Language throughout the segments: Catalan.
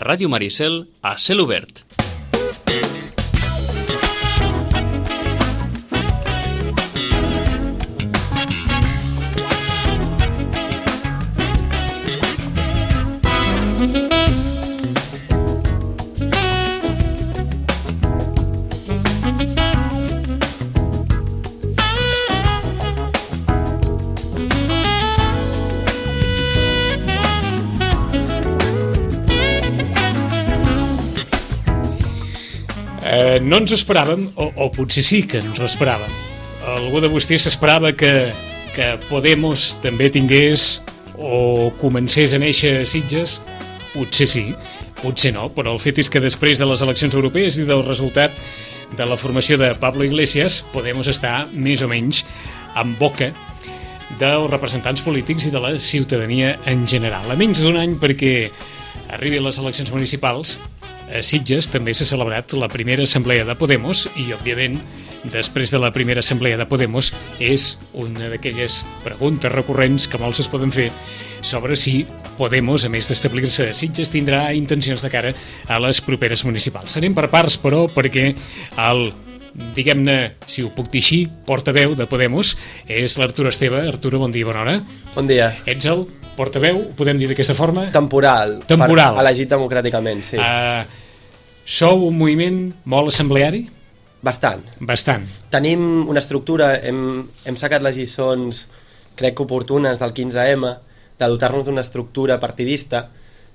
Ràdio Maricel, a cel obert. No ens esperàvem, o potser sí que ens ho esperàvem. Algú de vostès s'esperava que Podemos també tingués o comencés a néixer a Sitges. Potser sí, potser no, però el fet és que després de les eleccions europees i del resultat de la formació de Pablo Iglesias, Podemos està més o menys en boca dels representants polítics i de la ciutadania en general. A menys d'un any perquè arribin les eleccions municipals, a Sitges també s'ha celebrat la primera assemblea de Podemos i, òbviament, després de la primera assemblea de Podemos és una d'aquelles preguntes recurrents que molts es poden fer sobre si Podemos, a més d'establir-se a Sitges, tindrà intencions de cara a les properes municipals. Anem per parts, però, perquè el, diguem-ne, si ho puc dir així, portaveu de Podemos és l'Arturo Esteve. Arturo, bon dia, bona hora. Bon dia. Ets el portaveu, ho podem dir d'aquesta forma? Temporal. Elegit democràticament, sí. Sou un moviment molt assembleari? Bastant. Tenim una estructura, hem sacat les lliçons, crec que oportunes, del 15M, de dotar-nos d'una estructura partidista,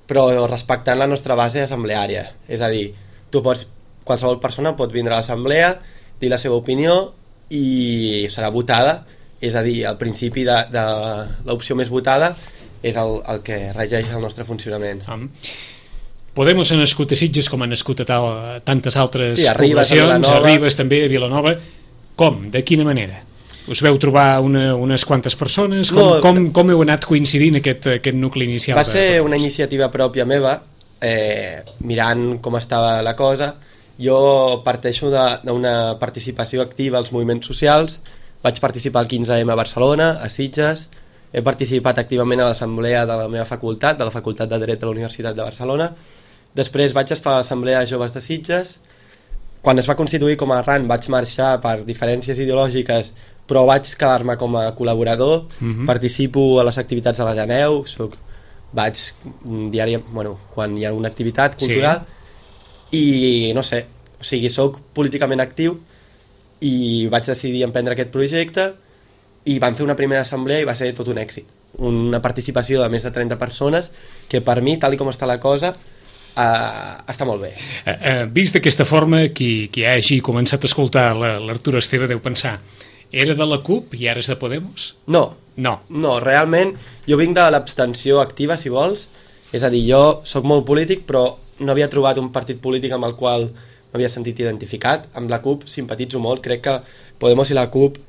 però respectant la nostra base assembleària. És a dir, qualsevol persona pot vindre a l'assemblea, dir la seva opinió i serà votada. És a dir, al principi de l'opció més votada és el que regeix el nostre funcionament. Podemos ha nascut a Sitges com ha nascut a tantes altres poblacions, a Ribes també, a Vilanova. Com? De quina manera? Us veu trobar unes quantes persones? Com heu anat coincidint aquest nucli inicial? Va ser una iniciativa pròpia meva, mirant com estava la cosa. Jo parteixo d'una participació activa als moviments socials. Vaig participar al 15M a Barcelona, a Sitges. He participat activament a l'assemblea de la meva facultat, de la Facultat de Dret de la Universitat de Barcelona. Després vaig estar a l'Assemblea de Joves de Sitges. Quan es va constituir com a RAN vaig marxar per diferències ideològiques, però vaig quedar-me com a col·laborador. Participo a les activitats de l'Ateneu, vaig quan hi ha una activitat cultural, i no sé, o sigui, soc políticament actiu i vaig decidir emprendre aquest projecte i vam fer una primera assemblea i va ser tot un èxit. Una participació de més de 30 persones que per mi, tal com està la cosa, està molt bé. Vist d'aquesta forma, qui hagi començat a escoltar l'Arturo Esteve deu pensar: era de la CUP i ara és de Podemos? No, realment jo vinc de l'abstenció activa, si vols. És a dir, jo sóc molt polític, però no havia trobat un partit polític amb el qual m'havia sentit identificat. Amb la CUP simpatitzo molt, crec que Podemos i la CUP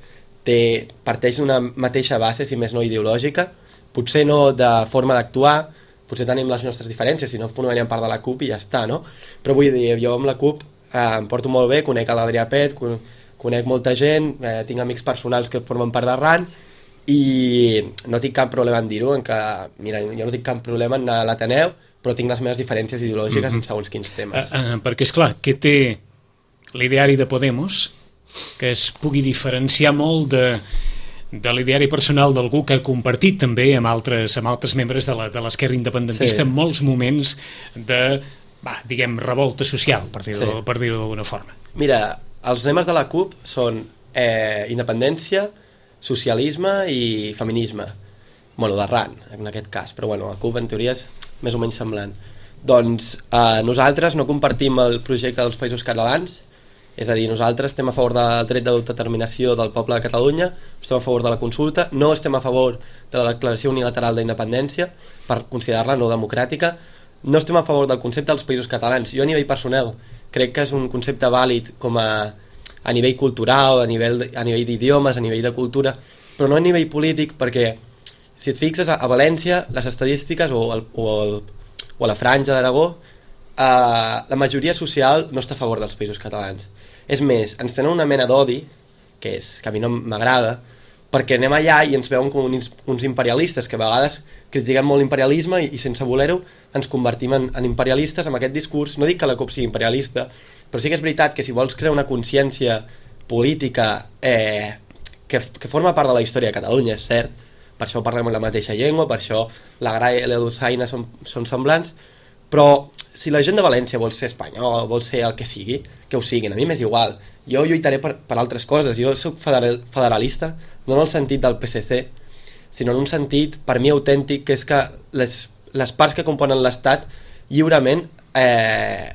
parteix d'una mateixa base, si més no ideològica, potser no de forma d'actuar, potser tenim les nostres diferències, si no formaríem part de la CUP i ja està, no? Però vull dir, jo amb la CUP em porto molt bé, conec l'Adrià Pet, conec molta gent, tinc amics personals que formen part de RAN i no tinc cap problema en dir-ho, mira, jo no tinc cap problema en anar a l'Ateneu, però tinc les meves diferències ideològiques en segons quins temes. Perquè, esclar, què té l'ideari de Podemos que es pugui diferenciar molt de l'ideari personal d'algú que ha compartit també amb altres membres de l'esquerra independentista en molts moments de, diguem, revolta social, per dir-ho d'alguna forma? Mira, els lemes de la CUP són independència, socialisme i feminisme. Bueno, de RAN, en aquest cas, però bueno, la CUP en teoria és més o menys semblant. Doncs nosaltres no compartim el projecte dels Països Catalans. És a dir, nosaltres estem a favor del dret d'autodeterminació del poble de Catalunya, estem a favor de la consulta, no estem a favor de la declaració unilateral d'independència per considerar-la no democràtica, no estem a favor del concepte dels països catalans. Jo a nivell personal crec que és un concepte vàlid com a nivell cultural, a nivell d'idiomes, a nivell de cultura, però no a nivell polític, perquè si et fixes a València, les estadístiques o a la Franja d'Aragó, la majoria social no està a favor dels països catalans. És més, ens tenen una mena d'odi, que a mi no m'agrada, perquè anem allà i ens veuen com uns imperialistes que a vegades critiquem molt l'imperialisme i sense voler-ho ens convertim en imperialistes amb aquest discurs. No dic que la CUP sigui imperialista, però sí que és veritat que si vols crear una consciència política que forma part de la història de Catalunya, és cert, per això parlem la mateixa llengua, per això la Gra i la Dolçaina són semblants, però si la gent de València vol ser espanyol, vol ser el que sigui, que ho siguin, a mi m'és igual. Jo lluitaré per altres coses. Jo soc federalista, no en el sentit del PSC, sinó en un sentit, per mi, autèntic, que és que les parts que componen l'Estat lliurement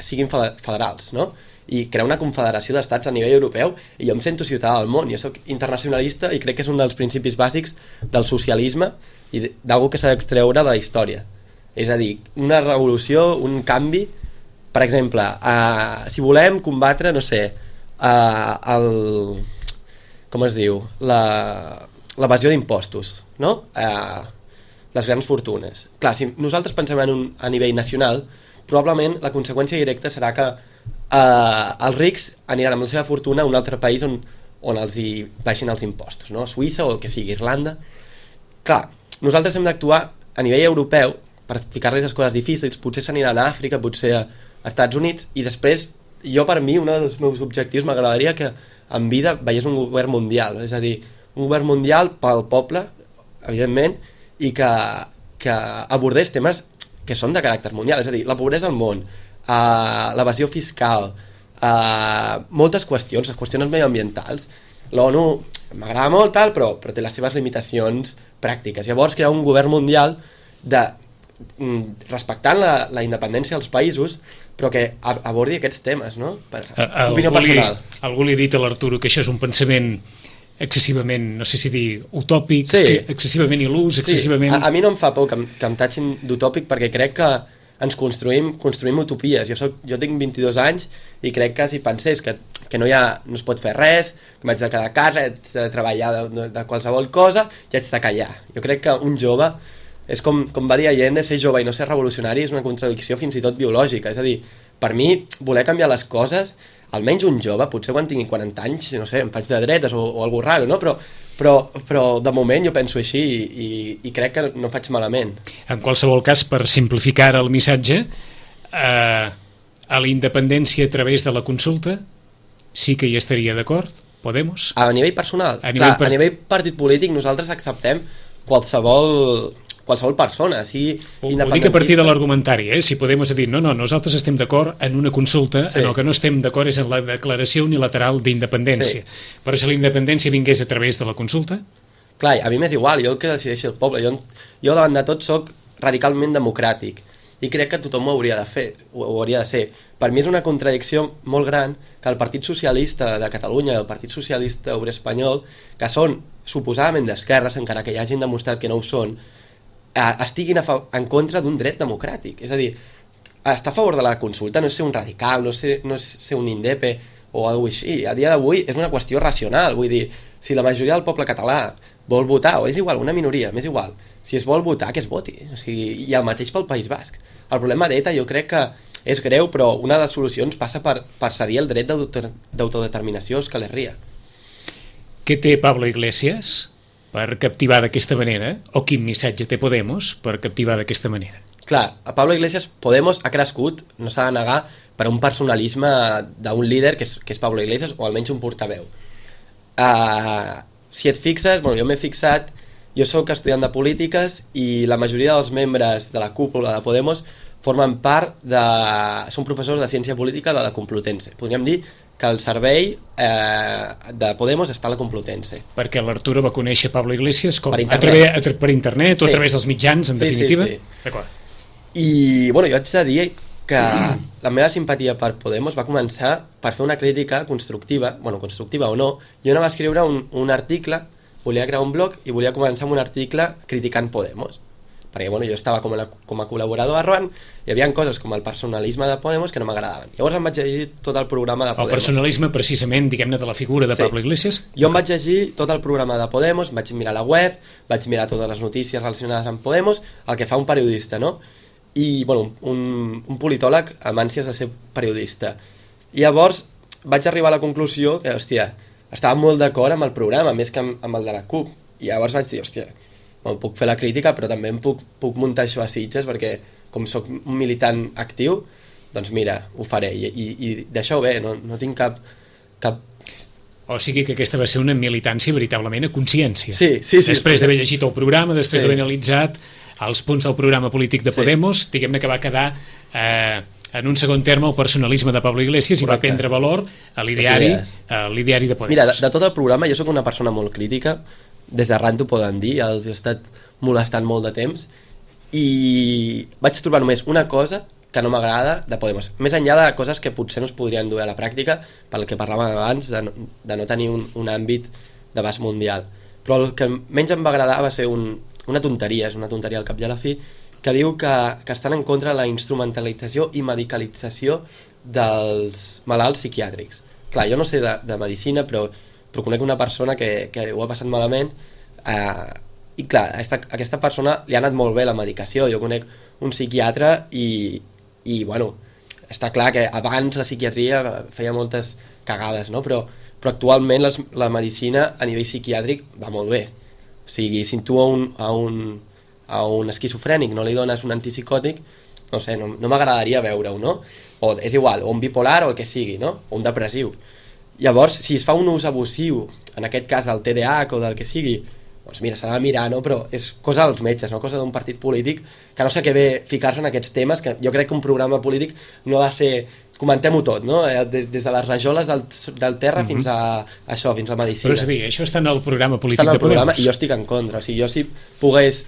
siguin federals, no? I crear una confederació d'estats a nivell europeu, i jo em sento ciutadà del món. Jo soc internacionalista i crec que és un dels principis bàsics del socialisme i d'algú que s'ha d'extreure de la història. És a dir, una revolució, un canvi. Per exemple, si volem combatre, no sé, com es diu, l'evasió d'impostos, no? Les grans fortunes. Clar, si nosaltres pensem a nivell nacional, probablement la conseqüència directa serà que els rics aniran amb la seva fortuna a un altre país on els hi baixin els impostos, no? Suïssa o el que sigui, Irlanda. Clar, nosaltres hem d'actuar a nivell europeu per ficar-les les coses difícils. Potser s'aniran a Àfrica, potser a Estats Units, i després, jo per mi, un dels meus objectius, m'agradaria que en vida veiés un govern mundial, és a dir, un govern mundial pel poble, evidentment, i que abordés temes que són de caràcter mundial, és a dir, la pobresa al món, l'evasió fiscal, moltes qüestions, les qüestions mediambientals. L'ONU m'agrada molt, tal, però té les seves limitacions pràctiques. Llavors, crear un govern mundial respectant la independència dels països, però que abordi aquests temes, no? Per opinió personal. Algú li ha dit a l'Arturo que això és un pensament excessivament, no sé si dir utòpic, sí, excessivament il·lus, excessivament... Sí. A mi no em fa por que em tatxin d'utòpic, perquè crec que ens construïm utopies. Jo tinc 22 anys i crec que si pensés que no es pot fer res, que m'haig de quedar a casa, haig de treballar de qualsevol cosa i haig de callar. Jo crec que un jove és com va dir Allende, ser jove i no ser revolucionari és una contradicció fins i tot biològica. És a dir, per mi, voler canviar les coses, almenys un jove, potser quan tingui 40 anys, no sé, em faig de dretes o algú raro, no? Però de moment jo penso així i crec que no faig malament. En qualsevol cas, per simplificar el missatge, a la independència a través de la consulta sí que hi estaria d'acord, Podemos? A nivell personal? A nivell partit polític nosaltres acceptem qualsevol persona, sigui independentista. Ho dic a partir de l'argumentari, si Podemos dir, no, nosaltres estem d'acord en una consulta, sí. En el que no estem d'acord és en la declaració unilateral d'independència. Sí. Però si la independència vingués a través de la consulta... Clar, a mi m'és igual, jo el que decideixi el poble. Jo davant de tot soc radicalment democràtic i crec que tothom ho hauria de fer, ho hauria de ser. Per mi és una contradicció molt gran que el Partit Socialista de Catalunya i el Partit Socialista Obrer Espanyol, que són suposadament d'esquerres, encara que hi hagin demostrat que no ho són, estiguin en contra d'un dret democràtic. És a dir, estar a favor de la consulta no és ser un radical, no és ser un indepe o alguna cosa així. A dia d'avui és una qüestió racional. Vull dir, si la majoria del poble català vol votar, o és igual, una minoria, m'és igual, si es vol votar, que es voti. O sigui, i el mateix pel País Basc. El problema d'ETA jo crec que és greu, però una de les solucions passa per cedir el dret d'autodeterminació a Euskal Herria. Què té Pablo Iglesias per captivar d'aquesta manera? O quin missatge té Podemos per captivar d'aquesta manera? Clar, a Pablo Iglesias, Podemos ha crescut, no s'ha de negar, per un personalisme d'un líder que és Pablo Iglesias, o almenys un portaveu. Si et fixes, jo m'he fixat, jo soc estudiant de polítiques i la majoria dels membres de la cúpula de Podemos formen part són professors de ciència política de la Complutense. Podríem dir que el servei de Podemos està a la Complutense. Perquè l'Arturo va conèixer Pablo Iglesias com? Per internet o a través dels mitjans, en definitiva? Sí. D'acord. I, jo haig de dir que la meva simpatia per Podemos va començar per fer una crítica constructiva, constructiva o no. Jo no va escriure un article, volia crear un blog i volia començar amb un article criticant Podemos. Perquè jo estava com a col·laborador a Rouen, hi havia coses com el personalisme de Podemos que no m'agradaven. Llavors em vaig llegir tot el programa de Podemos. El personalisme, precisament, diguem-ne, de la figura de Pablo Iglesias? Jo em vaig llegir tot el programa de Podemos, vaig mirar la web, vaig mirar totes les notícies relacionades amb Podemos, el que fa un periodista, no? I, un politòleg amb ànsies de ser periodista. I llavors vaig arribar a la conclusió que, estava molt d'acord amb el programa, més que amb el de la CUP. I llavors vaig dir, hòstia, puc fer la crítica, però també em puc muntar això a Sitges, perquè com sóc un militant actiu, doncs mira, ho faré, i deixeu bé, no tinc cap... O sigui que aquesta va ser una militància veritablement a consciència. Sí. Després d'haver llegit el programa, després d'haver analitzat els punts del programa polític de Podemos, diguem-ne que va quedar en un segon terme el personalisme de Pablo Iglesias. Correcte. I va prendre valor a l'ideari de Podemos. Mira, de tot el programa jo sóc una persona molt crítica, des d'arran t'ho poden dir, els he estat molestant molt de temps, i vaig trobar només una cosa que no m'agrada de Podemos, més enllà de coses que potser no es podrien dur a la pràctica, pel que parlàvem abans de no tenir un àmbit d'abast mundial. Però el que menys em va agradar va ser una tonteria, és una tonteria al cap i a la fi, que diu que estan en contra de la instrumentalització i medicalització dels malalts psiquiàtrics. Clar, jo no sé de medicina, però conec una persona que ho ha passat malament, i clar, a aquesta persona li ha anat molt bé la medicació. Jo conec un psiquiatre i bueno, està clar que abans la psiquiatria feia moltes cagades, no? Però actualment la medicina a nivell psiquiàtric va molt bé. O sigui, si tu a un esquizofrènic no li dones un antipsicòtic, no sé, no m'agradaria veure-ho, no? O és igual, o un bipolar o el que sigui, no? O un depressiu. Llavors, si es fa un ús abusiu, en aquest cas el TDAH o del que sigui, doncs mira, s'ha de mirar, no? Però és cosa dels metges, no? Cosa d'un partit polític, que no sé què ve ficar-se en aquests temes, que jo crec que un programa polític no ha de ser... Comentem-ho tot, no? Des de les rajoles del terra fins a això, fins a medicina. Però és a dir, això està en el programa polític de Podemos. Està en el programa i jo estic en contra. O sigui, jo si pogués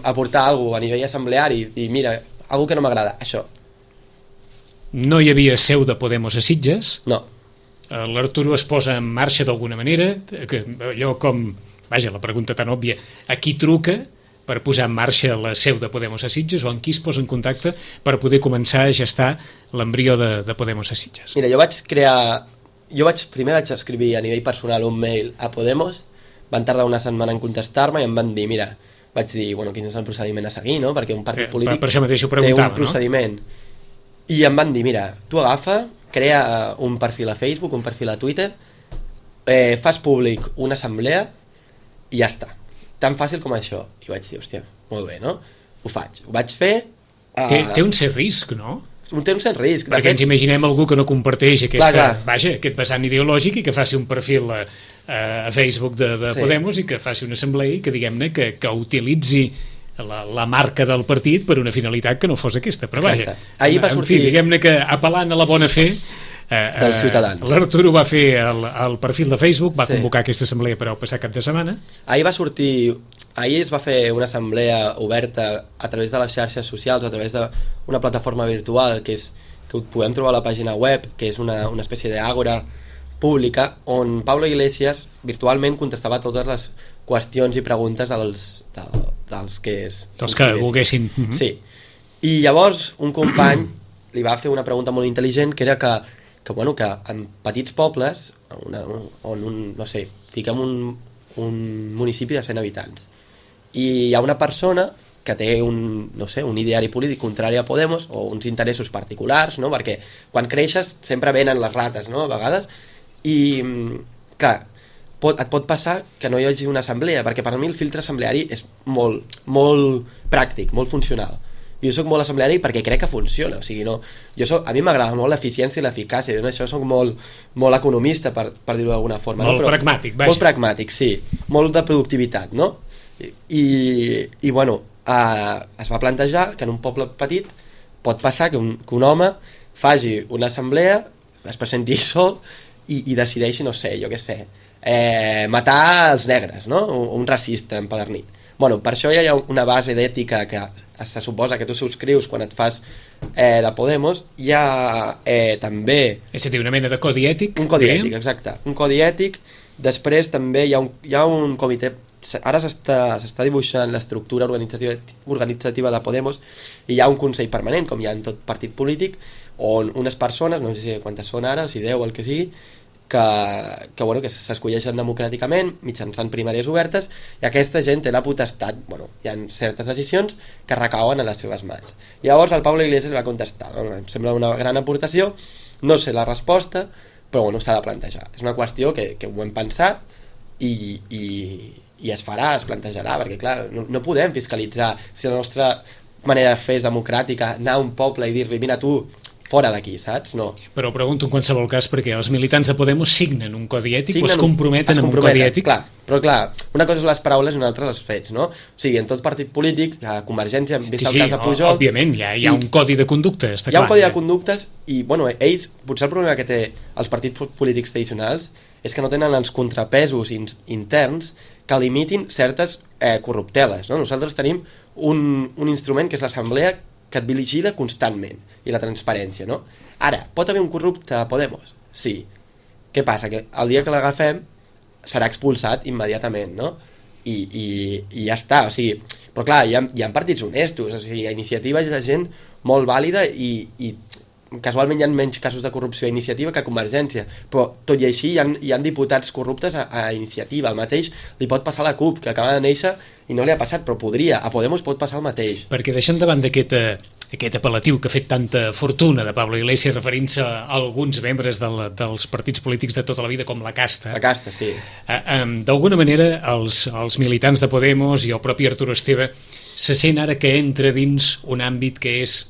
aportar alguna cosa a nivell assembleari i mira, alguna que no m'agrada, això. No hi havia seu de Podemos a Sitges. No. L'Arturo es posa en marxa d'alguna manera, que allò com... Vaja, la pregunta tan òbvia, a qui truca per posar en marxa la seu de Podemos a Sitges, o en qui es posa en contacte per poder començar a gestar l'embrió de Podemos a Sitges? Mira, primer vaig escriure a nivell personal un mail a Podemos, van tardar una setmana en contestar-me i em van dir, mira, vaig dir, bueno, quin és el procediment a seguir, no? Perquè un partit polític per això mateix ho té un procediment. No? I em van dir, mira, tu agafa, crea un perfil a Facebook, un perfil a Twitter, fas públic una assemblea i ja està. Tan fàcil com això. I vaig dir, hòstia, molt bé, no? Ho faig. Ho vaig fer... Té un cert risc, no? Té un cert risc. Perquè ens imaginem algú que no comparteix aquest vessant ideològic i que faci un perfil a Facebook de Podemos i que faci una assemblea i que diguem-ne que utilitzi la marca del partit per una finalitat que no fos aquesta. Però vaja, en fi, diguem-ne que apel·lant a la bona fe dels ciutadans. L'Arturo va fer el perfil de Facebook, va convocar aquesta assemblea per al passat cap de setmana. Ahir es va fer una assemblea oberta a través de les xarxes socials, a través d'una plataforma virtual que ho podem trobar a la pàgina web, que és una espècie d'àgora pública, on Pablo Iglesias virtualment contestava totes les qüestions i preguntes dels que volguessin. Sí. I llavors un company li va fer una pregunta molt intel·ligent, que era que en petits pobles, no sé, fiquem un municipi de 100 habitants, i hi ha una persona que té un ideari polític contrari a Podemos o uns interessos particulars, no? Perquè quan creixes sempre venen les rates, no? A vegades, i clar, et pot passar que no hi hagi una assemblea, perquè per mi el filtre assembleari és molt, molt pràctic, molt funcional. Jo soc molt assembleari perquè crec que funciona, o sigui, a mi m'agrada molt l'eficiència i l'eficàcia, jo en això soc molt economista, per dir-ho d'alguna forma. Molt pragmàtic, vaja. Molt pragmàtic, sí, molt de productivitat, no? I bueno, es va plantejar que en un poble petit pot passar que un home faci una assemblea, es presenti sol i decideixi, no sé, jo què sé, matar els negres, no? Un racista empadernit. Bueno, per això ja hi ha una base d'ètica que se suposa que tu subscrius quan et fas de Podemos. Hi ha també... És a dir, una mena de codi ètic? Un codi ètic, exacte. Un codi ètic. Després també hi ha un comitè... Ara s'està dibuixant l'estructura organitzativa de Podemos i hi ha un consell permanent, com hi ha en tot partit polític, on unes persones, no sé quantes són ara, o si 10 o el que sigui, que s'escolleixen democràticament mitjançant primàries obertes, i aquesta gent té la potestat, hi ha certes decisions que recauen a les seves mans. Llavors el Pablo Iglesias va contestar, em sembla una gran aportació, no sé la resposta, però s'ha de plantejar. És una qüestió que ho hem pensat i i es farà, es plantejarà, perquè clar, no podem fiscalitzar si la nostra manera de fer és democràtica, anar a un poble i dir-li, mira tu, fora d'aquí, saps? No. Però pregunto en qualsevol cas perquè els militants de Podemos signen un codi ètic o es comprometen amb un codi ètic? Clar, però clar, una cosa és les paraules i una altra els fets, no? O sigui, en tot partit polític, la Convergència, vist el cas de Pujol... Òbviament, hi ha un codi de conducta, està clar. Hi ha un codi de conductes i, bueno, ells, potser el problema que té els partits polítics tradicionals és que no tenen els contrapesos interns que limitin certes corrupteles, no? Nosaltres tenim un instrument que és l'Assemblea que et vigila constantment, i la transparència, no? Ara, pot haver un corrupte a Podemos? Sí. Què passa? Que el dia que l'agafem serà expulsat immediatament, no? I ja està, o sigui... Però clar, hi ha partits honestos, o sigui, a Iniciativa hi ha gent molt vàlida i casualment hi ha menys casos de corrupció a Iniciativa que a Convergència, però tot i així hi ha diputats corruptes a Iniciativa. El mateix li pot passar a la CUP, que acaba de néixer i no li ha passat, però podria. A Podemos pot passar el mateix. Perquè deixant davant d'aquest apel·latiu que ha fet tanta fortuna de Pablo Iglesias referint-se a alguns membres dels partits polítics de tota la vida com la casta. La casta, sí. D'alguna manera els militants de Podemos i el propi Arturo Esteve se sent ara que entra dins un àmbit que és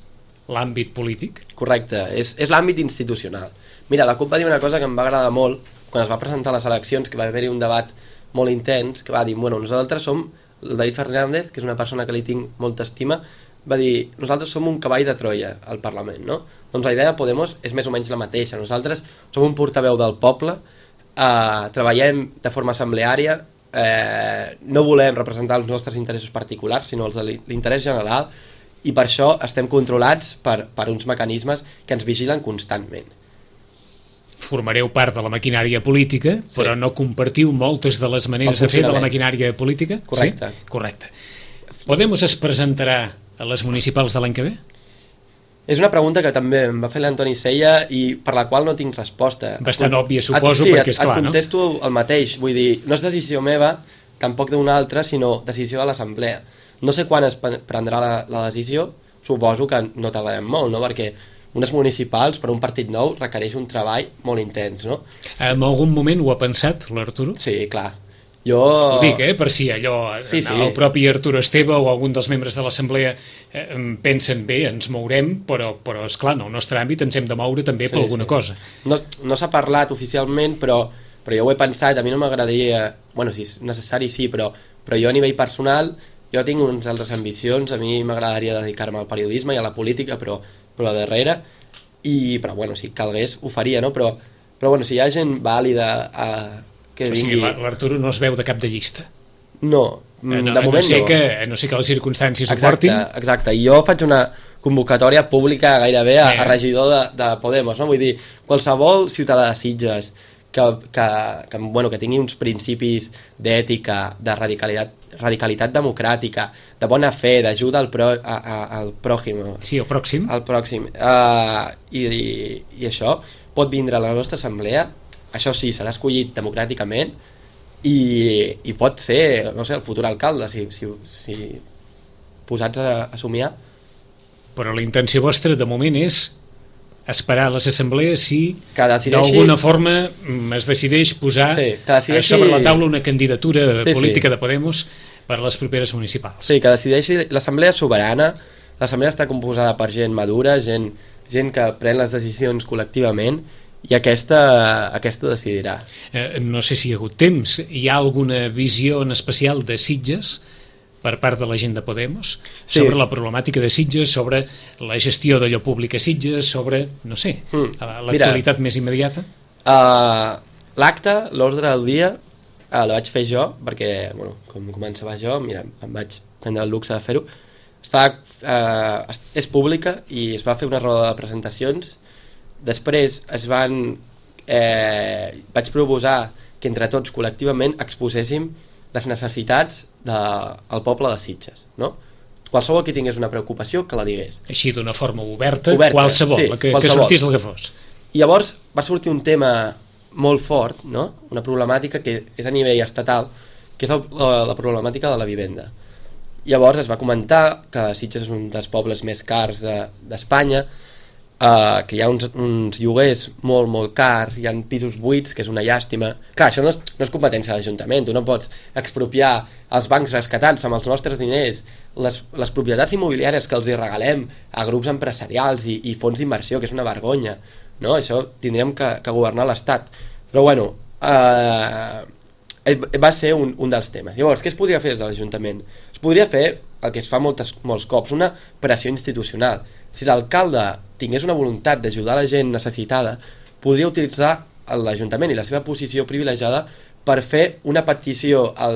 l'àmbit polític? Correcte, és l'àmbit institucional. Mira, la CUP va dir una cosa que em va agradar molt quan es va presentar a les eleccions, que va haver-hi un debat molt intens, que va dir, bueno, nosaltres som, el David Fernández, que és una persona que li tinc molta estima, va dir, nosaltres som un cavall de Troia al Parlament, no? Doncs la idea de Podemos és més o menys la mateixa. Nosaltres som un portaveu del poble, treballem de forma assembleària, no volem representar els nostres interessos particulars, sinó els de l'interès general, i per això estem controlats per uns mecanismes que ens vigilen constantment. Formareu part de la maquinària política, però no compartiu moltes de les maneres de fer de la maquinària política? Correcte. Sí? Correcte. Podemos es presentarà a les municipals de l'any que ve? És una pregunta que també em va fer l'Antoni Sella i per la qual no tinc resposta. Bastant òbvia, suposo, perquè és clar, no? Et contesto el mateix, vull dir, no és decisió meva, tampoc d'una altra, sinó decisió de l'Assemblea. No sé quan es prendrà la decisió, suposo que no tardarem molt, no? Perquè unes municipals per un partit nou requereix un treball molt intens, no? En algun moment ho ha pensat, l'Arturo? Sí, clar. Jo... Ho dic, per si allò, sí. El propi Arturo Esteve o algun dels membres de l'Assemblea pensen bé, ens mourem, però esclar, en el nostre àmbit ens hem de moure també per alguna cosa. No s'ha parlat oficialment, però jo ho he pensat, a mi no m'agradaria... Bueno, si és necessari sí, però jo a nivell personal, jo tinc unes altres ambicions, a mi m'agradaria dedicar-me al periodisme i a la política, però a darrere, però bueno, si calgués ho faria, no? Però bueno, si hi ha gent vàlida que vingui... O sigui, l'Arturo no es veu de cap de llista? No, de moment no. No sé que les circumstàncies ho portin. Exacte, i jo faig una convocatòria pública gairebé a regidor de Podemos, no? Vull dir, qualsevol ciutadà de Sitges que tingui uns principis d'ètica, de radicalitat democràtica, de bona fe, d'ajuda al pròxim. Sí, al pròxim. Al pròxim. I això pot vindre a la nostra assemblea, això sí, serà escollit democràticament i pot ser, no sé, el futur alcalde, si posats a somiar. Però la intenció vostra de moment és esperar a les assemblees si d'alguna forma es decideix posar sobre la taula una candidatura política de Podemos per a les properes municipals. Sí, que decideixi l'assemblea soberana. L'assemblea està composada per gent madura, gent que pren les decisions col·lectivament, i aquesta decidirà. No sé si hi ha hagut temps. Hi ha alguna visió en especial de Sitges per part de la gent de Podemos sobre la problemàtica de Sitges, sobre la gestió d'allò públic a Sitges, sobre, no sé, l'actualitat més immediata? L'acte, l'ordre del dia, la vaig fer jo, perquè, bueno, com començava jo, mira, em vaig prendre el luxe de fer-ho. És pública i es va fer una roda de presentacions. Després vaig proposar que entre tots col·lectivament exposéssim les necessitats del poble de Sitges, no? Qualsevol que tingués una preocupació que la digués. Així d'una forma oberta qualsevol, sí, que sortís el que fos. I llavors va sortir un tema molt fort, no? Una problemàtica que és a nivell estatal, que és la problemàtica de la vivenda. Llavors es va comentar que Sitges és un dels pobles més cars d'Espanya que hi ha uns lloguers molt cars, hi ha pisos buits, que és una llàstima. Clar, això no és competència de l'Ajuntament, tu no pots expropiar els bancs rescatats amb els nostres diners, les propietats immobiliàries que els hi regalem a grups empresarials i fons d'inversió, que és una vergonya, no? Això tindríem que governar l'Estat. Però bueno, va ser un dels temes. Llavors, què es podria fer des de l'Ajuntament? Es podria fer el que es fa molts cops, una pressió institucional. Si l'alcalde tingués una voluntat d'ajudar la gent necessitada, podria utilitzar l'Ajuntament i la seva posició privilegiada per fer una petició a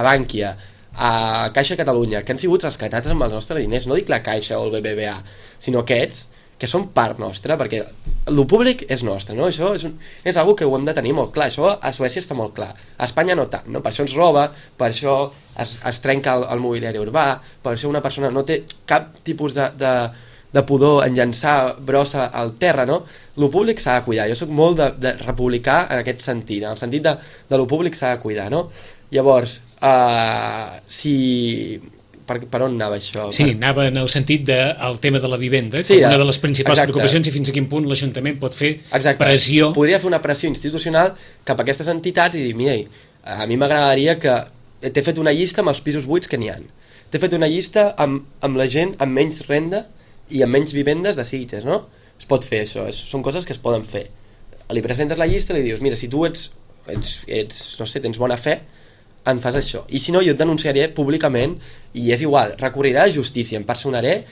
Bànquia, a Caixa Catalunya, que han sigut rescatats amb els nostres diners. No dic la Caixa o el BBVA, sinó aquests que són part nostra, perquè el públic és nostre, no? Això és algo que ho hem de tenir molt clar. Això a Suècia està molt clar, a Espanya no tant, no? Per això ens roba, per això es trenca el mobiliari urbà, per això una persona no té cap tipus de pudor en llançar brossa al terra, no? Lo públic s'ha de cuidar. Jo sóc molt de republicà en aquest sentit, en el sentit de lo públic s'ha de cuidar, no? Llavors, per on anava això? Sí, anava en el sentit del tema de la vivenda, sí, com una de les principals preocupacions, i fins a quin punt l'Ajuntament pot fer pressió. Podria fer una pressió institucional cap a aquestes entitats i dir, mira, a mi m'agradaria que t'he fet una llista amb els pisos buits que n'hi ha. T'he fet una llista amb la gent amb menys renda i amb menys vivendes de Sitges, no? Es pot fer això, són coses que es poden fer. Li presentes la llista i li dius, mira, si tu ets no sé, tens bona fe, em fas això. I si no, jo et denunciaré públicament i és igual, recorriré a justícia, em personaré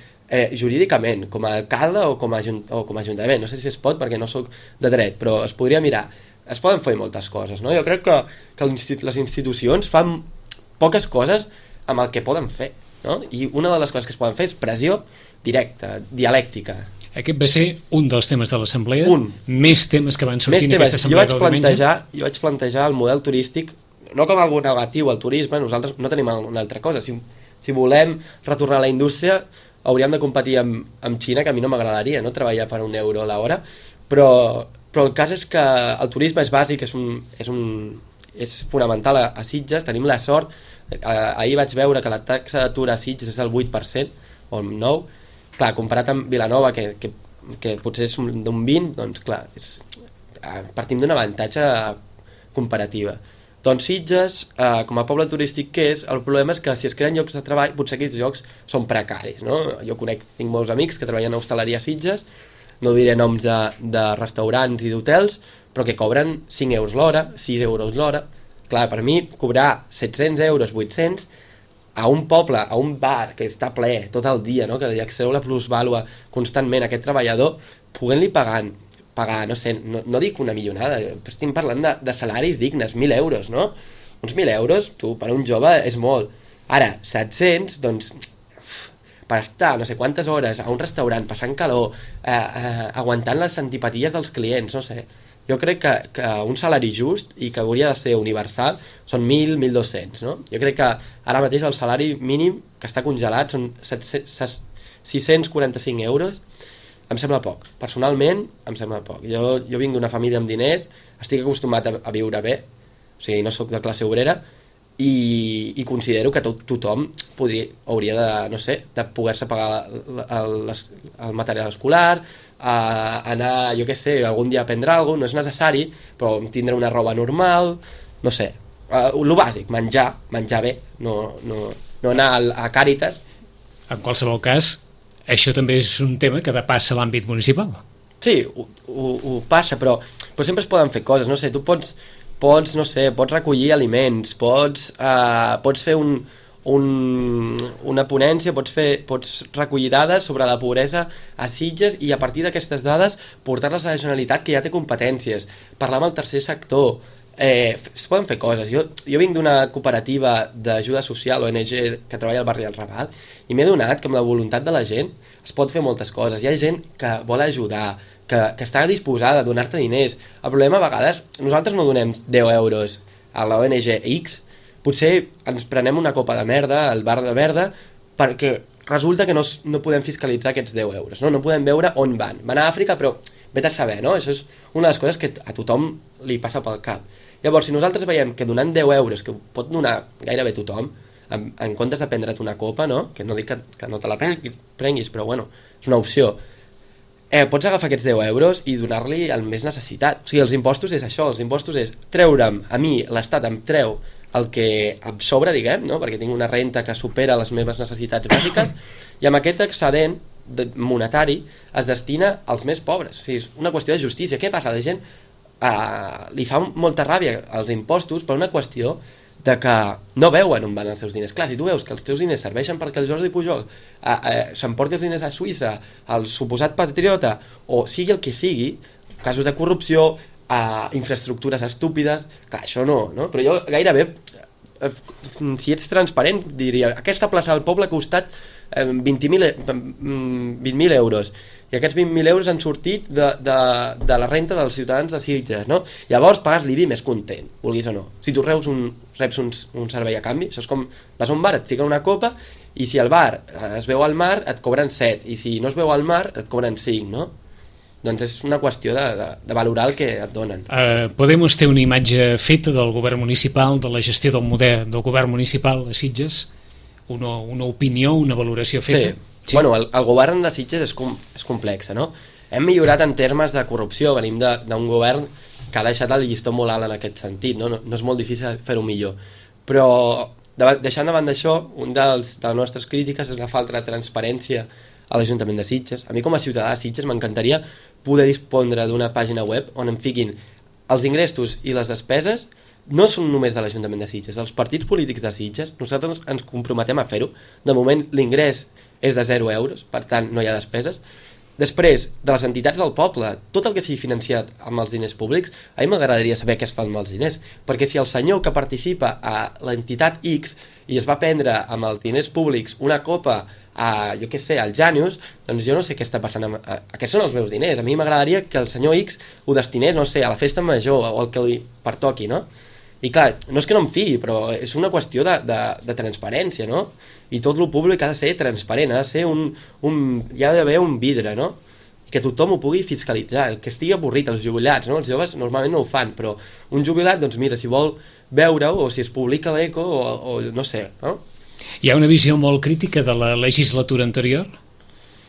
jurídicament, com a alcalde o com a ajuntament. No sé si es pot perquè no sóc de dret, però es podria mirar. Es poden fer moltes coses, no? Jo crec que les institucions fan poques coses amb el que poden fer, no? I una de les coses que es poden fer és pressió directa, dialèctica. Aquest va ser un dels temes de l'assemblea. Més temes que van sortir en aquesta assemblea del diumenge. Jo vaig plantejar el model turístic no com algo negatiu al turisme, nosaltres no tenim una altra cosa. Si volem retornar a la indústria, hauríem de competir amb Xina, que a mi no m'agradaria, no? Treballar per €1 l'hora, però el cas és que el turisme és bàsic, és fonamental a Sitges, tenim la sort. Ahir vaig veure que la taxa d'atur a Sitges és el 8%, o el 9%. Clar, comparat amb Vilanova, que potser és d'un 20%, doncs clar, partim d'un avantatge comparativa. Doncs Sitges, com a poble turístic que és, el problema és que si es creen llocs de treball, potser aquests llocs són precaris, no? Jo tinc molts amics que treballen a hostaleria a Sitges, no diré noms de restaurants i d'hotels, però que cobren 5 euros l'hora, 6 euros l'hora. Clar, per mi, cobrar 700 euros, 800, a un poble, a un bar que està ple tot el dia, no? Que li extreu la plusvàlua constantment a aquest treballador, podent-li pagar, no sé, no dic una milionada, estem parlant de salaris dignes, 1.000 euros, no? Uns 1.000 euros, tu, per un jove és molt. Ara, 700, doncs, per estar no sé quantes hores a un restaurant, passant calor, aguantant les antipaties dels clients, no sé. Jo crec que un salari just i que hauria de ser universal són 1.000, 1.200, no? Jo crec que ara mateix el salari mínim que està congelat són 645 euros. Em sembla poc. Personalment, em sembla poc. Jo vinc d'una família amb diners, estic acostumat a viure bé, o sigui, no sóc de classe obrera, i considero que tothom hauria de, no sé, de poder-se pagar el material escolar, anar, jo què sé, algun dia a aprendre alguna cosa, no és necessari, però tindre una roba normal, no sé, lo bàsic, menjar bé, no anar a Càritas. En qualsevol cas, això també és un tema que depassa l'àmbit municipal. Sí, ho passa, però sempre es poden fer coses, no sé, tu pots recollir aliments, pots fer una ponència, pots recollir dades sobre la pobresa a Sitges i a partir d'aquestes dades portar-les a la Generalitat, que ja té competències, parlar amb el tercer sector. Es poden fer coses. Jo vinc d'una cooperativa d'ajuda social, ONG, que treballa al barri del Raval, i m'he donat que amb la voluntat de la gent es pot fer moltes coses. Hi ha gent que vol ajudar, que està disposada a donar-te diners. El problema a vegades, nosaltres no donem 10 euros a la ONG X, potser ens prenem una copa de merda al bar de merda perquè resulta que no podem fiscalitzar aquests 10 euros, no podem veure on van. Van a Àfrica, però vete a saber, no? Això és una de les coses que a tothom li passa pel cap. Llavors, si nosaltres veiem que donant 10 euros, que pot donar gairebé tothom, en comptes de prendre't una copa, no? Que no dic que no te la prenguis, però bueno, és una opció. Pots agafar aquests 10 euros i donar-li al més necessitat. O sigui, els impostos és això, els impostos és treure'm, a mi l'Estat em treu el que em sobra, diguem, no? Perquè tinc una renta que supera les meves necessitats bàsiques, i amb aquest excedent monetari es destina als més pobres. O sigui, és una qüestió de justícia. Què passa? La gent li fa molta ràbia als impostos per una qüestió de que no veuen on van els seus diners. Clar, si tu veus que els teus diners serveixen perquè el Jordi Pujol s'emporti els diners a Suïssa, el suposat patriota, o sigui el que sigui, casos de corrupció, infraestructures estúpides, clar, això no? Però jo gairebé, si ets transparent, diria, aquesta plaça del poble ha costat 20.000 euros, i aquests 20.000 euros han sortit de la renta dels ciutadans de Sitges, no? Llavors pagues l'IBI més content, vulguis o no. Si tu reps un servei a canvi, això és com vas a un bar, et fiquen una copa, i si al bar es veu al mar et cobren 7, i si no es veu al mar et cobren 5, no? Doncs és una qüestió de valorar el que et donen. Podemos té una imatge feta del govern municipal, de la gestió del model del govern municipal a Sitges, una opinió, una valoració feta? Sí. Bueno, el govern de Sitges és complex, no? Hem millorat en termes de corrupció, venim d'un govern que ha deixat el llistó molt alt en aquest sentit, no és molt difícil fer-ho millor, però deixant davant d'això, una de les nostres crítiques és la falta de transparència a l'Ajuntament de Sitges. A mi com a ciutadà de Sitges m'encantaria poder dispondre d'una pàgina web on em fiquin els ingressos i les despeses. No són només de l'Ajuntament de Sitges, els partits polítics de Sitges, nosaltres ens comprometem a fer-ho. De moment l'ingrés és de 0 euros, per tant no hi ha despeses. Després, de les entitats del poble, tot el que sigui financiat amb els diners públics, a mi m'agradaria saber què es fa amb els diners, perquè si el senyor que participa a l'entitat X i es va prendre amb els diners públics una copa jo què sé, al Janius, doncs jo no sé què està passant aquests són els meus diners. A mi m'agradaria que el senyor X ho destinés, no sé, a la festa major o el que li pertoqui, no? I clar, no és que no em fiï, però és una qüestió de transparència, no? I tot el públic ha de ser transparent, ha de ser hi ha d'haver un vidre, no? I que tothom ho pugui fiscalitzar, el que estigui avorrit, els jubilats, no? Els joves normalment no ho fan, però un jubilat, doncs mira, si vol veure-ho, o si es publica l'eco, o no sé, no? Hi ha una visió molt crítica de la legislatura anterior?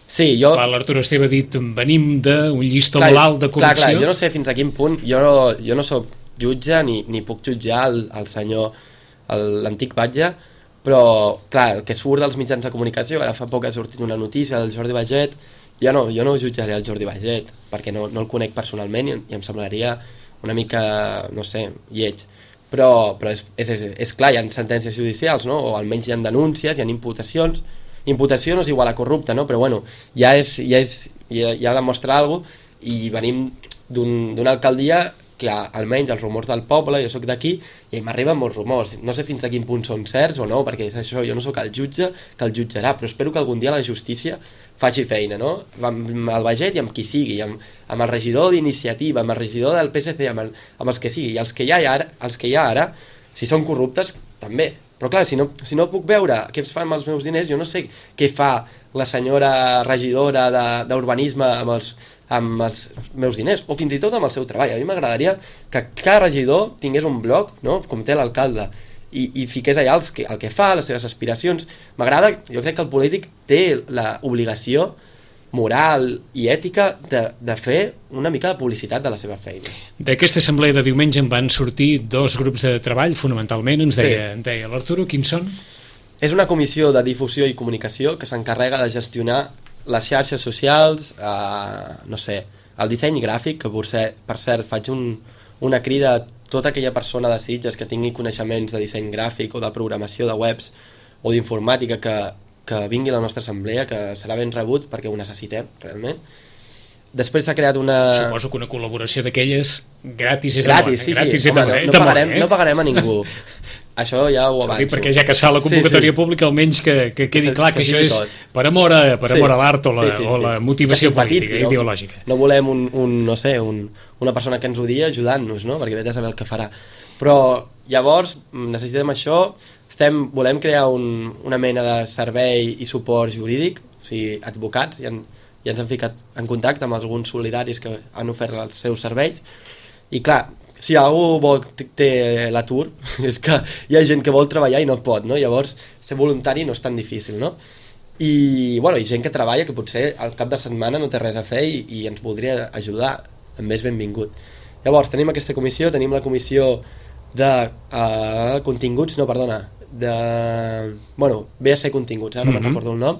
Sí, jo... L'Arturo Esteve ha dit, venim d'un llistó molt alt de corrupció. Clar, jo no sé fins a quin punt, jo no soc jutge ni puc jutjar el senyor, l'antic batlle, però clar, el que surt dels mitjans de comunicació, ara fa poc ha sortit una notícia del Jordi Baiget, jo no jutjaré el Jordi Baiget, perquè no el conec personalment i em semblaria una mica, no sé, lleig. Però és clar, hi ha sentències judicials, no? O almenys hi ha denúncies, hi ha imputacions. Imputació no és igual a corrupte, no? Però bueno, ja demostra alguna cosa, i venim d'una alcaldia que almenys els rumors del poble, jo sóc d'aquí, i m'arriben molts rumors. No sé fins a quin punt són certs o no, perquè és això, jo no sóc el jutge que el jutjarà, però espero que algun dia la justícia faci feina, no? Amb el Baiget i amb qui sigui, amb el regidor d'Iniciativa, amb el regidor del PSC, amb els que sigui, i els que hi ha ara, si són corruptes, també. Però clar, si no puc veure què es fa amb els meus diners, jo no sé què fa la senyora regidora d'urbanisme amb els meus diners, o fins i tot amb el seu treball. A mi m'agradaria que cada regidor tingués un blog, no? Com té l'alcalde, i fiqués allà el que fa, les seves aspiracions. M'agrada, jo crec que el polític té l'obligació moral i ètica de fer una mica de publicitat de la seva feina. D'aquesta assemblea de diumenge en van sortir 2 grups de treball, fonamentalment, ens deia l'Arturo, quins són? És una comissió de difusió i comunicació que s'encarrega de gestionar les xarxes socials, no sé, el disseny gràfic, que per cert faig una crida a tota aquella persona de Sitges que tingui coneixements de disseny gràfic o de programació de webs o d'informàtica que vingui a la nostra assemblea, que serà ben rebut perquè ho necessitem realment. Després s'ha creat una... Suposo que una col·laboració d'aquelles gratis és gratis, no pagarem a ningú. Això ja ho avanço. Perquè ja que es fa la convocatòria pública, almenys que quedi clar que això és per amor a l'art o la motivació política, ideològica. No volem una persona que ens odia ajudant-nos, no? Perquè vete a saber el que farà. Però llavors necessitem això, volem crear una mena de servei i suport jurídic, o sigui, advocats, ja ens han ficat en contacte amb alguns solidaris que han ofert els seus serveis, i clar, si algú té l'atur, és que hi ha gent que vol treballar i no pot, no? Llavors ser voluntari no és tan difícil, no? I bueno, hi ha gent que treballa que potser al cap de setmana no té res a fer i ens voldria ajudar, també és benvingut. Llavors tenim aquesta comissió, tenim la comissió de continguts, no, perdona, de... bueno, ve a ser continguts, no me'n recordo el nom,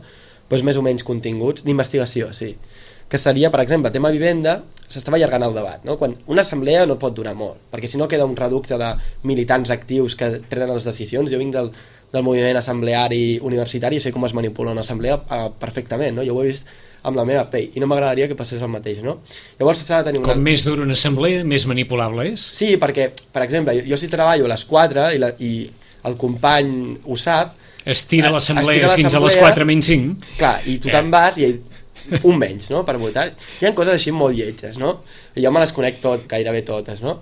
però és més o menys continguts d'investigació, sí, que seria, per exemple, tema vivenda. S'estava allargant el debat, no? Quan una assemblea no pot durar molt, perquè si no queda un reducte de militants actius que prenen les decisions. Jo vinc del moviment assembleari universitari i sé com es manipula una assemblea perfectament, no? Jo ho he vist amb la meva pell i no m'agradaria que passés el mateix, no? Llavors s'ha de tenir Com més dura una assemblea, més manipulable és? Sí, perquè, per exemple, jo si treballo a les 4 i el company ho sap, estira l'assemblea fins a les 4 menys 5. Clar, i tu te'n vas i un menys, no?, per votar. Hi ha coses així molt lletges, no? I jo me les conec gairebé totes, no?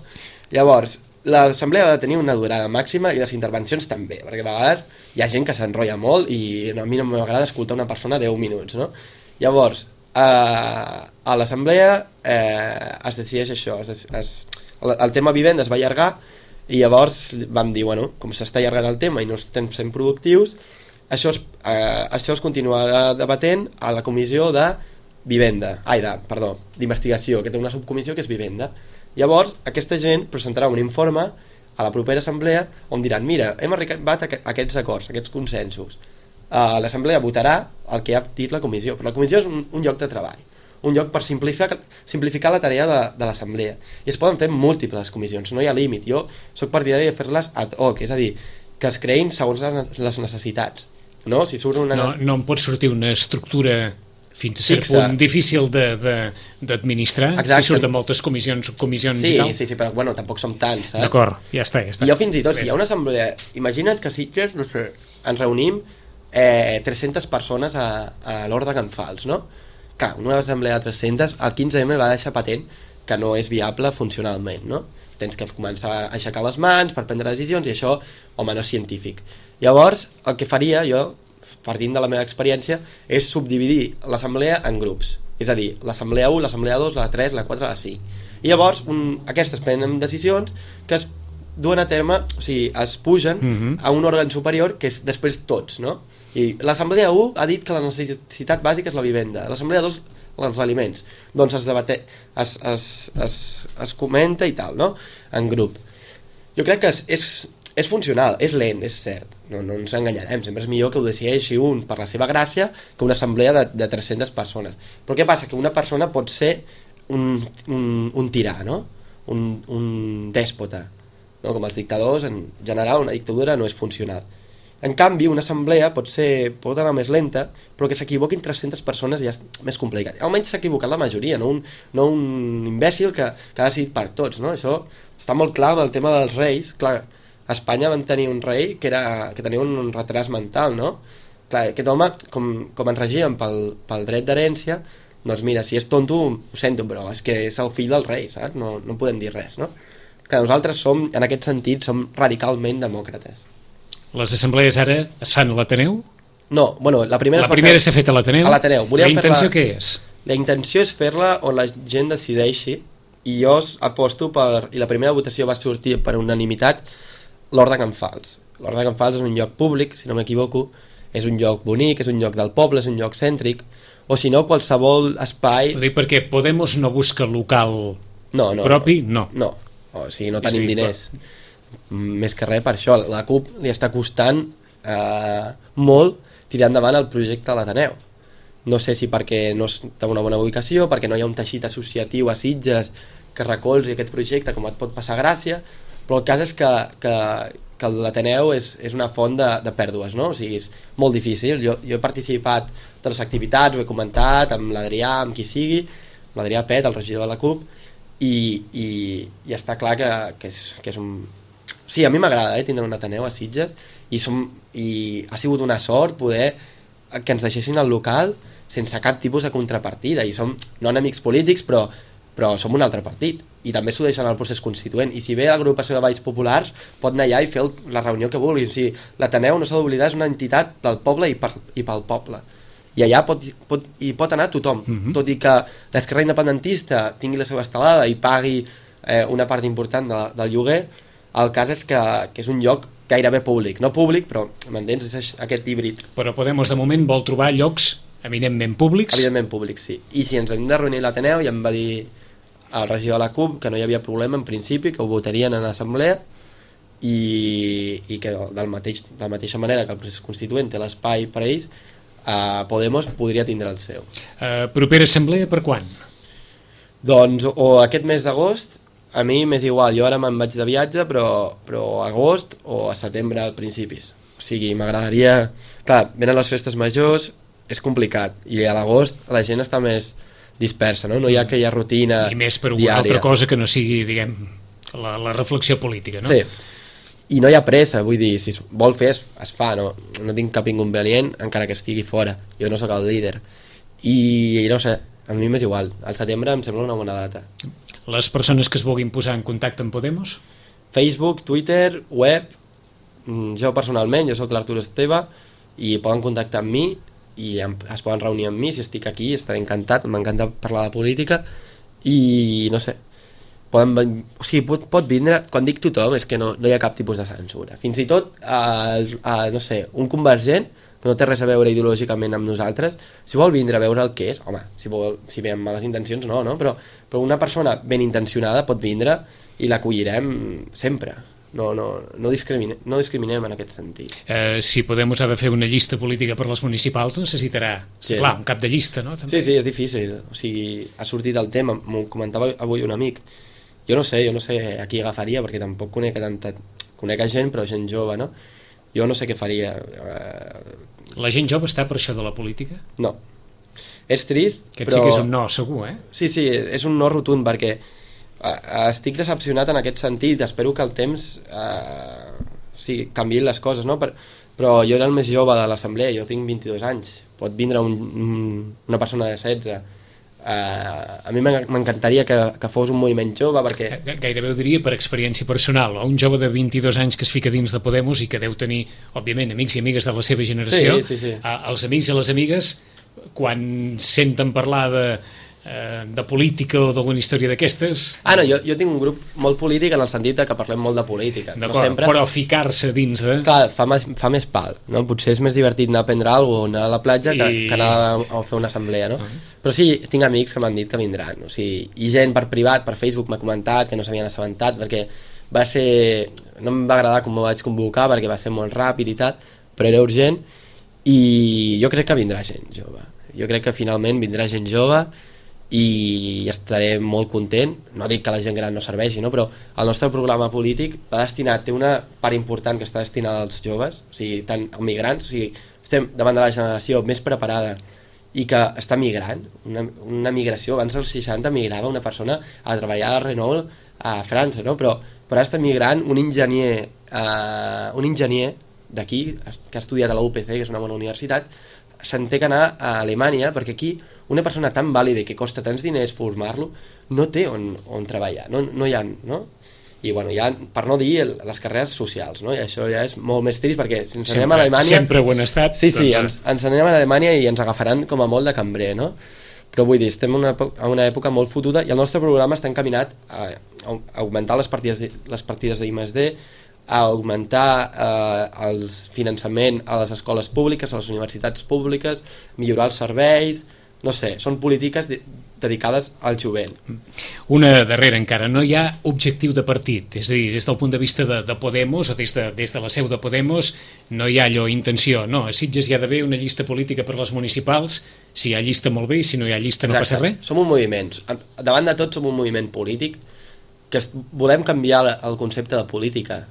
Llavors, l'assemblea ha de tenir una durada màxima i les intervencions també, perquè a vegades hi ha gent que s'enrotlla molt i a mi no m'agrada escoltar una persona 10 minuts, no? Llavors, a l'assemblea es decideix això, el tema vivenda es va allargar i llavors vam dir, bueno, com s'està allargant el tema i no estem sent productius, això es continuarà debatent a la comissió d'investigació, que té una subcomissió que és vivenda. Llavors, aquesta gent presentarà un informe a la propera assemblea on diran, mira, hem arribat a aquests acords, a aquests consensos. L'assemblea votarà el que ha dit la comissió, però la comissió és un lloc de treball, un lloc per simplificar la tarea de l'assemblea. I es poden fer múltiples comissions, no hi ha límit. Jo soc partidari de fer-les ad hoc, és a dir, que es creïn segons les necessitats. No, si surt no em pot sortir una estructura fins a cert punt difícil d'administrar, si surten moltes comissions, subcomissions i tal. Sí, però bueno, tampoc som tants, saps? D'acord, ja està. I jo fins i tot, si hi ha una assemblea, imagina't que a Sitges, no sé, ens reunim 300 persones a l'Hort de Can Fals, no? Clar, una assemblea de 300, el 15M va deixar patent que no és viable funcionalment, no? Tens que començar a aixecar les mans per prendre decisions i això, home, no és científic. Llavors, el que faria jo, partint de la meva experiència, és subdividir l'assemblea en grups. És a dir, l'assemblea 1, l'assemblea 2, la 3, la 4, la 5. I llavors, aquestes prenen decisions que es duen a terme, o sigui, es pugen a un òrgan superior que és després tots, no? I l'assemblea 1 ha dit que la necessitat bàsica és la vivenda, l'assemblea 2 els aliments. Doncs es comenta i tal, no? En grup. Jo crec que és funcional, és lent, és cert, no ens enganyarem, sempre és millor que ho decideixi un per la seva gràcia que una assemblea de 300 persones. Però què passa? Que una persona pot ser un tirà, no? Un dèspota, no? Com els dictadors, en general una dictadura no és funcional. En canvi, una assemblea pot anar més lenta, però que s'equivoquin 300 persones ja és més complicat. Almenys s'ha equivocat la majoria, no un imbècil que ha decidit per tots, no? Això està molt clar amb el tema dels reis. Clar, a Espanya van tenir un rei que tenia un retras mental, no? Clar, aquest home, com ens regien pel dret d'herència, doncs mira, si és tonto, ho sento, però és que és el fill del rei, saps? No podem dir res, no? Clar, nosaltres en aquest sentit, som radicalment demòcrates. Les assemblees ara es fan a l'Ateneu? No, bueno, la primera s'ha fet a l'Ateneu? A l'Ateneu. La intenció què és? La intenció és fer-la on la gent decideixi, i jo aposto i la primera votació va sortir per unanimitat, l'Hort de Can Fals. L'Hort de Can Fals és un lloc públic, si no m'equivoco, és un lloc bonic, és un lloc del poble, és un lloc cèntric, o si no, qualsevol espai... Ho dic perquè Podemos no busca local propi? No. O sigui, no tenim diners. Més que res per això, la CUP li està costant molt tirar endavant el projecte de l'Ateneu. No sé si perquè no té una bona ubicació, perquè no hi ha un teixit associatiu a Sitges que recolzi aquest projecte, com et pot passar a Gràcia, però el cas és que l'Ateneu és una font de pèrdues, no? O sigui, és molt difícil. Jo he participat de les activitats, ho he comentat amb l'Adrià, amb qui sigui, l'Adrià Pet, el regidor de la CUP, i està clar que és un... Sí, a mi m'agrada tindre un Ateneu a Sitges i ha sigut una sort poder que ens deixessin el local sense cap tipus de contrapartida, i som no enemics polítics, però som un altre partit, i també s'ho deixen al procés constituent, i si ve l'agrupació de Valls Populars pot anar allà i fer la reunió que vulguin. O sigui, l'Ateneu, no s'ha d'oblidar, és una entitat del poble i pel poble, i allà pot anar tothom, tot i que l'esquerra independentista tingui la seva estelada i pagui una part important del lloguer. El cas és que és un lloc gairebé públic, no públic, però m'entens? És aquest híbrid. Però Podemos de moment vol trobar llocs eminentment públics. Evidentment públics, sí. I si ens hem de reunir l'Ateneu, ja em va dir el regidor de la CUP que no hi havia problema en principi, que ho votarien en l'assemblea i que de la mateixa manera que el procés constituent té l'espai per a ells, Podemos podria tindre el seu. Propera assemblea per quan? Doncs o aquest mes d'agost, a mi m'és igual, jo ara me'n vaig de viatge, però agost o a setembre al principis. O sigui, m'agradaria... Clar, venen les festes majors, és complicat, i a l'agost la gent està més dispersa, no? No hi ha aquella rutina diària. I més per alguna altra cosa que no sigui, diguem, la reflexió política, no? Sí, i no hi ha pressa, vull dir, si es vol fer es fa, no tinc cap inconvenient encara que estigui fora, jo no sóc el líder i no sé, a mi m'és igual, al setembre em sembla una bona data. Les persones que es vulguin posar en contacte amb Podemos? Facebook, Twitter, web, jo personalment, jo sóc l'Artur Esteve i poden contactar amb mi i es poden reunir amb mi, si estic aquí estaré encantat, m'encanta parlar de política i no sé, o sigui, pot vindre, quan dic tothom és que no hi ha cap tipus de censura, fins i tot no sé, un convergent que no té res a veure ideològicament amb nosaltres, si vol vindre a veure el que és, home, si ve amb males intencions no, però una persona ben intencionada pot vindre i l'acollirem sempre. No discriminem en aquest sentit. Si Podemos ha de fer una llista política per les municipals, necessitarà, clar, un cap de llista, no? També. Sí, és difícil. O sigui, ha sortit el tema, m'ho comentava avui un amic. Jo no sé a qui agafaria, perquè tampoc conec gent, però gent jove, no? Jo no sé què faria. La gent jove està per això de la política? No. És trist, Aquest sí que és un no, segur, eh? Sí, és un no rotund, perquè estic decepcionat en aquest sentit, espero que el temps canviïn les coses, no? Però jo era el més jove de l'assemblea, jo tinc 22 anys, pot vindre una persona de 16. A mi m'encantaria que fos un moviment jove, perquè... Gairebé ho diria per experiència personal, un jove de 22 anys que es fica dins de Podemos i que deu tenir, òbviament, amics i amigues de la seva generació. Sí. Els amics i les amigues, quan senten parlar de política o d'alguna història d'aquestes... No, jo tinc un grup molt polític en el sentit que parlem molt de política. D'acord, no sempre... però ficar-se dins de... Clar, fa més pal, no? Potser és més divertit anar a prendre alguna cosa, anar a la platja que anar a fer una assemblea, no? Però sí, tinc amics que m'han dit que vindran, o sigui, i gent per privat, per Facebook m'ha comentat que no s'havien assabentat, perquè va ser... no em va agradar com m'ho vaig convocar, perquè va ser molt ràpid i tal, però era urgent, i jo crec que vindrà gent jove. Jo crec que finalment vindrà gent jove i estaré molt content. No dic que la gent gran no serveixi, no? Però el nostre programa polític té una part important que està destinada als joves, o sigui, tant als migrants, o sigui, estem davant de la generació més preparada i que està migrant, una migració. Abans dels 60 migrava una persona a treballar a Renault a França, no? Però ara està migrant un enginyer d'aquí, que ha estudiat a la UPC, que és una bona universitat, se'n té que anar a Alemanya, perquè aquí una persona tan vàlida i que costa tants diners formar-lo no té on treballar, no hi ha, no? I bueno, ja, per no dir les carreres socials, no? I això ja és molt més trist, perquè si ens anem a Alemanya... Sempre ho han estat. Sí, ens anem a Alemanya i ens agafaran com a molt de cambrer, no? Però vull dir, estem en una època molt fotuda i el nostre programa està encaminat a augmentar les partides d'I+D, a augmentar el finançament a les escoles públiques, a les universitats públiques, millorar els serveis, no sé, són polítiques dedicades al jovent. Una darrera encara, no hi ha objectiu de partit, és a dir, des del punt de vista de Podemos o des de la seu de Podemos no hi ha allò intenció, no, a Sitges hi ha d'haver una llista política per les municipals, si hi ha llista molt bé i si no hi ha llista no passa res. Som un moviment, davant de tot som un moviment polític que volem canviar el concepte de política.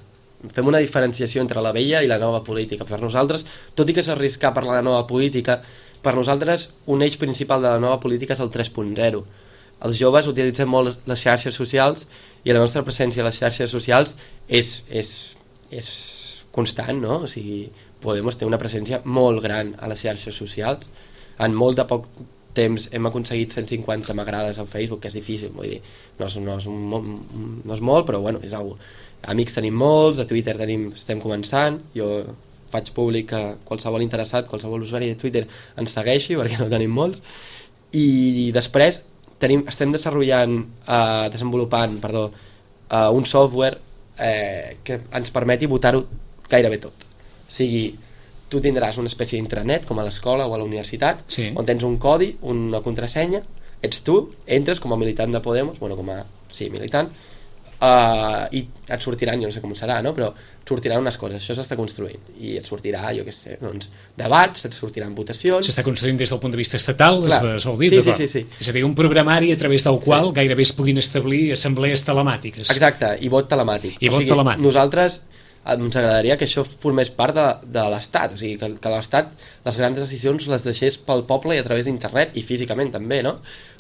Fem una diferenciació entre la vella i la nova política. Per nosaltres, tot i que és arriscar per la nova política, per nosaltres un eix principal de la nova política és el 3.0. Els joves utilitzem molt les xarxes socials i la nostra presència a les xarxes socials és constant, no? O sigui, Podemos té una presència molt gran a les xarxes socials. En molt de poc temps hem aconseguit 150 m'agrades a Facebook, que és difícil, vull dir, no és molt, però bueno, és algo. Amics tenim molts, a Twitter estem començant, jo faig públic que qualsevol interessat, qualsevol usuari de Twitter ens segueixi, perquè no tenim molts, i després estem desenvolupant un software que ens permeti votar-ho gairebé tot. O sigui, tu tindràs una espècie d'intranet, com a l'escola o a la universitat, sí, on tens un codi, una contrasenya, ets tu, entres com a militant de Podemos, bueno, com a, sí, militant, i et sortiran, jo no sé com serà, no? Però et sortiran unes coses, això s'està construint i et sortirà, jo què sé, doncs, debats, et sortiran votacions. S'està construint des del punt de vista estatal, es vol dir? Sí. És a dir, un programari a través del qual gairebé es puguin establir assemblees telemàtiques. Exacte, i vot telemàtic. Nosaltres ens agradaria que això formés part de l'Estat, o sigui, que l'Estat les grans decisions les deixés pel poble i a través d'internet i físicament també, no?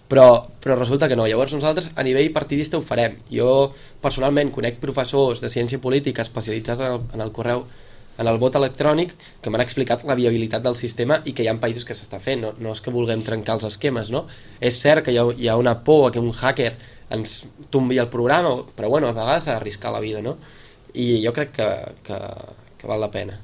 Però resulta que no. Llavors nosaltres a nivell partidista ho farem. Jo personalment conec professors de ciència política especialitzats en el correu, en el vot electrònic, que m'han explicat la viabilitat del sistema i que hi ha països que s'està fent. No és que vulguem trencar els esquemes, no? És cert que hi ha una por a que un hacker ens tombi el programa, però bueno, a vegades s'ha d'arriscar la vida, no? I jo crec que val la pena.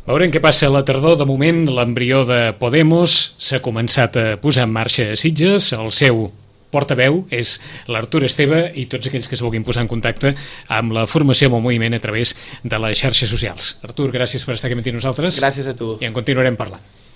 Veurem què passa a la tardor. De moment, l'embrió de Podemos s'ha començat a posar en marxa a Sitges. El seu portaveu és l'Artur Esteve i tots aquells que es vulguin posar en contacte amb la formació, amb el moviment a través de les xarxes socials. Artur, gràcies per estar aquí amb nosaltres. Gràcies a tu. I en continuarem parlant.